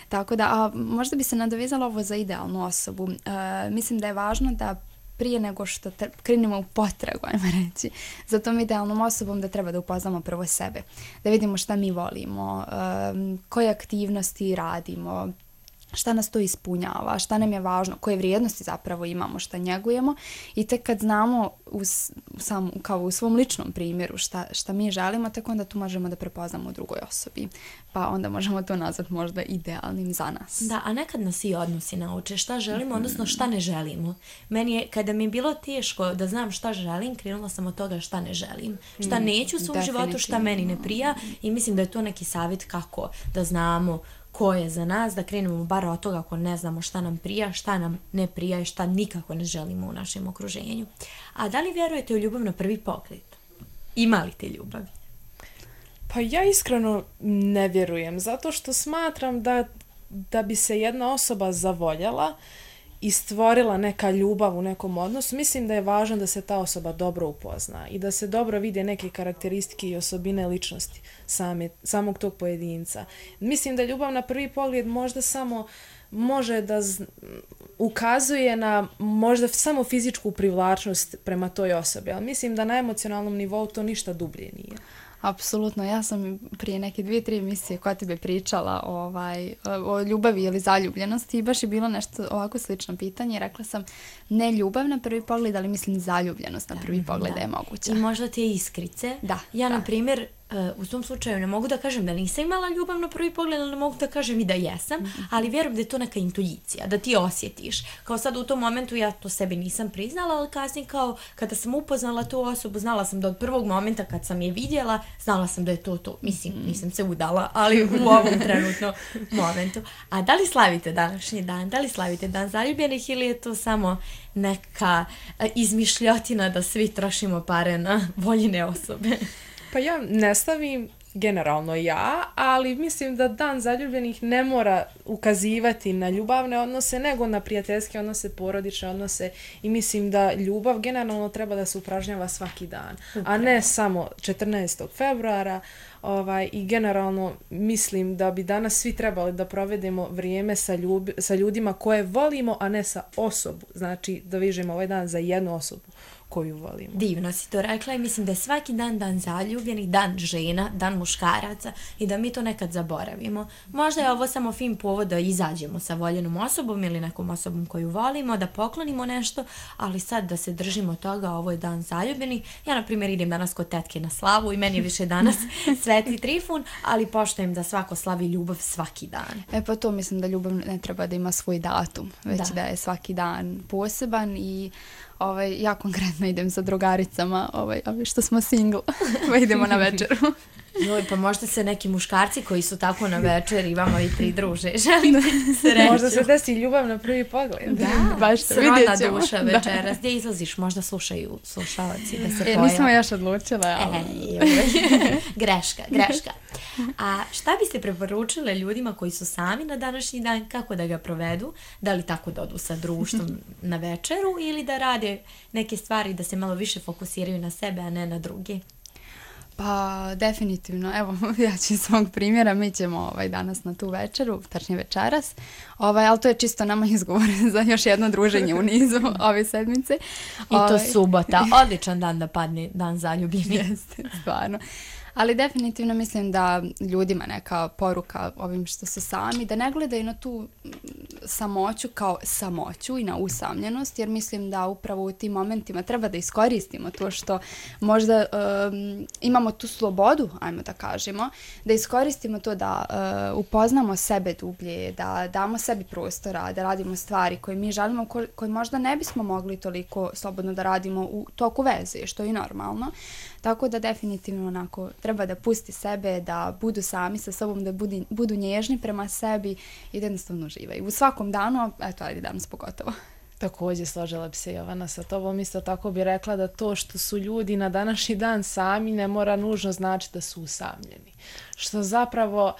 Tako da, a možda bi se nadovezala ovo za idealnu osobu. Uh, mislim da je važno da prije nego što tre- krenemo u potragu, ajmo reći, za tom idealnom osobom da treba da upoznamo prvo sebe, da vidimo šta mi volimo, um, koje aktivnosti radimo, šta nas to ispunjava, šta nam je važno, koje vrijednosti zapravo imamo, šta njegujemo i tek kad znamo u, sam, kao u svom ličnom primjeru šta, šta mi želimo, tek onda tu možemo da prepoznamo u drugoj osobi. Pa onda možemo to nazvati možda idealnim za nas. Da, a nekad nas i odnosi nauče šta želimo, odnosno šta ne želimo. Meni je, kada mi je bilo teško da znam šta želim, krenula sam od toga šta ne želim. Šta neću u svom životu, šta meni ne prija i mislim da je to neki savjet kako da znamo ko je za nas, da krenemo bar od toga ako ne znamo šta nam prija, šta nam ne prija i šta nikako ne želimo u našem okruženju. A da li vjerujete u ljubav na prvi pogled? Ima li te ljubavi? Pa ja iskreno ne vjerujem, zato što smatram da, da bi se jedna osoba zavoljela i stvorila neka ljubav u nekom odnosu. Mislim da je važno da se ta osoba dobro upozna i da se dobro vide neke karakteristike i osobine ličnosti same, samog tog pojedinca. Mislim da ljubav na prvi pogled možda samo može da z- ukazuje na možda samo fizičku privlačnost prema toj osobi, ali mislim da na emocionalnom nivou to ništa dublje nije. Apsolutno, ja sam prije neke dvije, tri emisije koja tebe pričala ovaj, o ljubavi ili zaljubljenosti i baš je bilo nešto ovako slično pitanje. Rekla sam ne ljubav na prvi pogled, ali mislim zaljubljenost na prvi pogled da je moguća. I možda te iskrice. Da, ja, da. na primjer, u tom slučaju ne mogu da kažem da nisam imala ljubav na prvi pogled, ali ne mogu da kažem i da jesam, mm-hmm. ali vjerujem da je to neka intuicija, da ti osjetiš. Kao sad u tom momentu ja to sebi nisam priznala, ali kasnije kao kada sam upoznala tu osobu, znala sam da od prvog momenta kad sam je vidjela, znala sam da je to to. Mislim, nisam se udala, ali u ovom trenutnom momentu. A da li slavite današnji dan? Da li slavite dan zaljubljenih ili je to samo neka izmišljotina da svi trošimo pare na voljene osobe? Pa ja ne stavim generalno ja, ali mislim da dan zaljubljenih ne mora ukazivati na ljubavne odnose, nego na prijateljske odnose, porodične odnose i mislim da ljubav generalno treba da se upražnjava svaki dan, a ne samo četrnaestog februara. Ovaj, i generalno mislim da bi danas svi trebali da provedemo vrijeme sa, ljub, sa ljudima koje volimo, a ne sa osobu. Znači da vežemo ovaj dan za jednu osobu koju volimo. Divno si to rekla i mislim da je svaki dan dan zaljubljenih, dan žena, dan muškaraca i da mi to nekad zaboravimo. Možda je ovo samo fin povod da izađemo sa voljenom osobom ili nekom osobom koju volimo, da poklonimo nešto, ali sad da se držimo toga, ovo je dan zaljubljenih. Ja, na primjer, idem danas kod tetke na slavu i meni je više danas Sveti Trifun, ali poštujem da svako slavi ljubav svaki dan. E pa to mislim da ljubav ne treba da ima svoj datum, već da, da je svaki dan poseban i ovaj, ja konkretno idem sa drugaricama, ovaj, što smo single, pa idemo na večeru. Joj, pa možda se neki muškarci koji su tako na večer i vama i pridruže. Želim sreću. Možda se desi ljubav na prvi pogled. Da, baš to vidjet ćemo. Duša večeras. Gdje izlaziš? Možda slušaju slušalci da se pojave. E, nismo još odlučila. Ali... E, greška, greška. A šta biste preporučile ljudima koji su sami na današnji dan, kako da ga provedu? Da li tako da odu sa društvom na večeru ili da rade neke stvari da se malo više fokusiraju na sebe, a ne na druge? Pa definitivno, evo ja ću iz svog primjera, mi ćemo ovaj, danas na tu večeru, tačnije večeras, ovaj, ali to je čisto nama izgovor za još jedno druženje u nizu ove sedmice. I to ovaj... subota, odličan dan da padne dan zaljubljenih. Jeste, stvarno. Ali definitivno mislim da ljudima neka poruka ovim što su sami, da ne gledaju na tu samoću kao samoću i na usamljenost, jer mislim da upravo u tim momentima treba da iskoristimo to što možda um, imamo tu slobodu, ajmo da kažemo, da iskoristimo to da uh, upoznamo sebe dublje, da damo sebi prostora, da radimo stvari koje mi želimo, ko, koje možda ne bismo mogli toliko slobodno da radimo u toku veze, što je normalno. Tako da definitivno onako treba da pusti sebe, da budu sami sa sobom, da budu, budu nježni prema sebi i da jednostavno uživaju. U svakom danu, eto, ajde danas pogotovo. Također složila bi se Jovana sa tobom, isto tako bi rekla da to što su ljudi na današnji dan sami ne mora nužno znači da su usamljeni. Što zapravo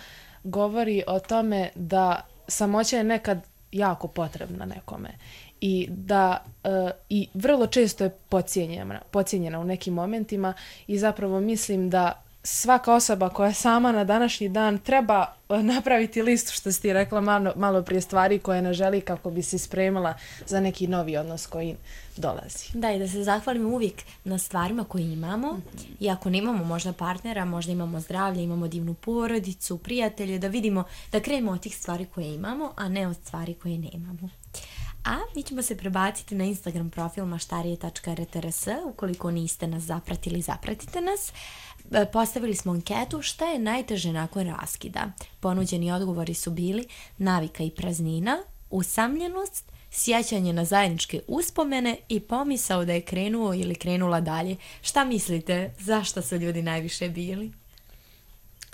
govori o tome da samoća je nekad jako potrebna nekome. I da uh, i vrlo često je podcijenjena, podcijenjena u nekim momentima i zapravo mislim da svaka osoba koja je sama na današnji dan treba napraviti listu, što si ti rekla malo, malo prije, stvari koje ne želi kako bi se spremila za neki novi odnos koji dolazi. Da, i da se zahvalimo uvijek na stvarima koje imamo. Mm-hmm. I ako nemamo možda partnera, možda imamo zdravlje, imamo divnu porodicu, prijatelje, da vidimo, da krenemo od tih stvari koje imamo, a ne od stvari koje nemamo. A mi ćemo se prebaciti na Instagram profil maštarije tačka r t r s. Ukoliko niste nas zapratili, zapratite nas. Postavili smo anketu šta je najteže nakon raskida. Ponuđeni odgovori su bili navika i praznina, usamljenost, sjećanje na zajedničke uspomene i pomisao da je krenuo ili krenula dalje. Šta mislite, zašto su ljudi najviše bili?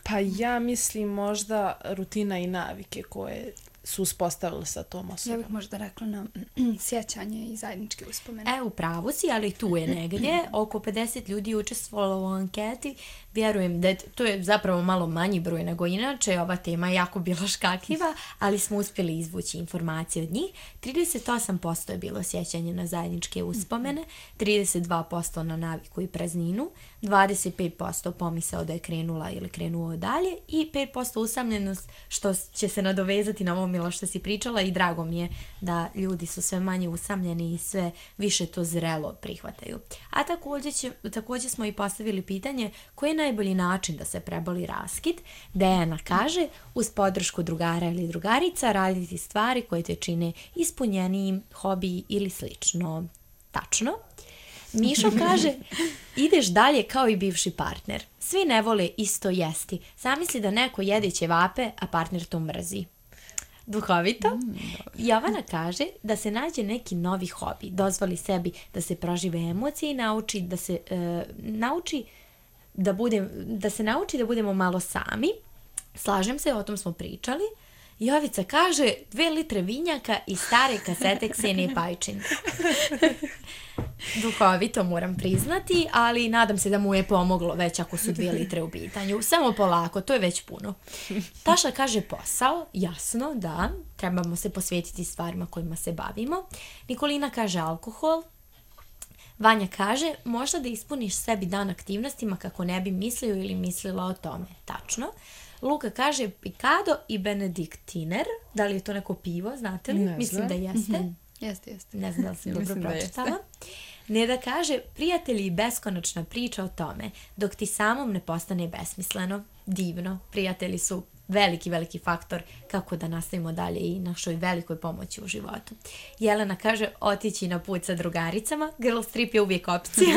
Pa ja mislim možda rutina i navike koje su uspostavili sa tom osobom. Ja bih možda rekla na sjećanje i zajedničke uspomene. E, u pravu si, ali tu je negdje. Oko pedeset ljudi učestvovalo u anketi. Vjerujem da je, to je zapravo malo manji broj nego inače. Ova tema je jako bila škakljiva, ali smo uspjeli izvući informacije od njih. trideset osam posto je bilo sjećanje na zajedničke uspomene, trideset dva posto na naviku i prazninu, dvadeset pet posto pomisao da je krenula ili krenuo dalje i pet posto usamljenost, što će se nadovezati na ovo, Milo, što si pričala, i drago mi je da ljudi su sve manje usamljeni i sve više to zrelo prihvataju. A također, će, također smo i postavili pitanje koji je najbolji način da se preboli raskid. Dejana kaže, uz podršku drugara ili drugarica raditi stvari koje te čine ispunjenijim, hobiji ili slično. Tačno. Mišo kaže, ideš dalje kao i bivši partner. Svi ne vole isto jesti. Zamisli da neko jede ćevape, a partner to mrzi. Duhovito. Mm, Jovana kaže da se nađe neki novi hobi, dozvoli sebi da se prožive emocije i nauči da se e, nauči da bude, da se nauči da budemo malo sami. Slažem se, o tom smo pričali. Jovica kaže dve litre vinjaka i stare kasete Ksenije Pajčin. Duhovito moram priznati, ali nadam se da mu je pomoglo već ako su dvije litre u pitanju. Samo polako, to je već puno. Taša kaže posao, jasno, da, trebamo se posvetiti stvarima kojima se bavimo. Nikolina kaže alkohol. Vanja kaže, možda da ispuniš sebi dan aktivnostima kako ne bi mislio ili mislila o tome. Tačno. Luka kaže Picado i Benediktiner. Da li je to neko pivo, znate li? Ne Mislim znam. da jeste. Mm-hmm. Jeste, jeste. Ne znam da li sam dobro Mislim da pročitala. Neda kaže, prijatelji i beskonačna priča o tome, dok ti samom ne postane besmisleno. Divno. Prijatelji su veliki, veliki faktor kako da nastavimo dalje i našoj velikoj pomoći u životu. Jelena kaže, otići na put sa drugaricama. Girls trip je uvijek opcija.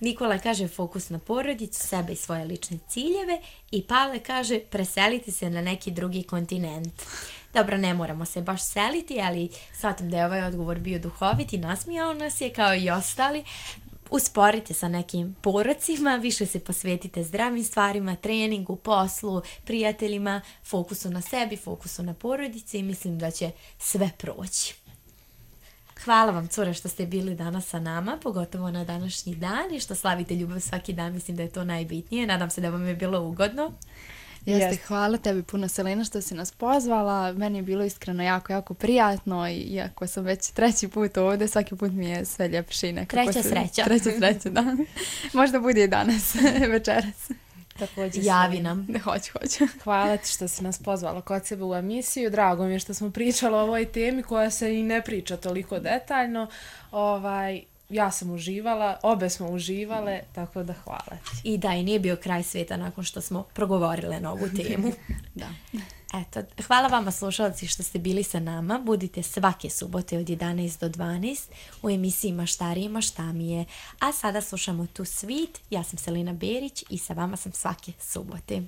Nikola kaže, fokus na porodicu, sebe i svoje lične ciljeve. I Pavle kaže, preseliti se na neki drugi kontinent. Dobro, ne moramo se baš seliti, ali shvatim da je ovaj odgovor bio duhovit i nasmijao nas je kao i ostali. Usporite sa nekim porocima, više se posvetite zdravim stvarima, treningu, poslu, prijateljima, fokusu na sebi, fokusu na porodici i mislim da će sve proći. Hvala vam, cure, što ste bili danas sa nama, pogotovo na današnji dan i što slavite ljubav svaki dan, mislim da je to najbitnije. Nadam se da vam je bilo ugodno. Jeste, Yes. hvala tebi puno, Selena, što si nas pozvala. Meni je bilo iskreno jako, jako prijatno i iako sam već treći put ovdje, svaki put mi je sve ljepše i nekako... Treća se- sreća. Treća sreća, da. Možda bude i danas, večeras. Također Javi se- nam. Ne, hoću, hoću. Hvala ti što si nas pozvala kod sebe u emisiju. Drago mi je što smo pričali o ovoj temi koja se i ne priča toliko detaljno. Ovaj, ja sam uživala, obe smo uživale, tako da hvala ti. I da, i nije bio kraj svijeta nakon što smo progovorile na ovu temu. Da. Eto, hvala vama slušalci što ste bili sa nama. Budite svake subote od jedanaest do dvanaest u emisiji Maštari i maštamije. A sada slušamo Tu Sweet. Ja sam Selena Berić i sa vama sam svake subote.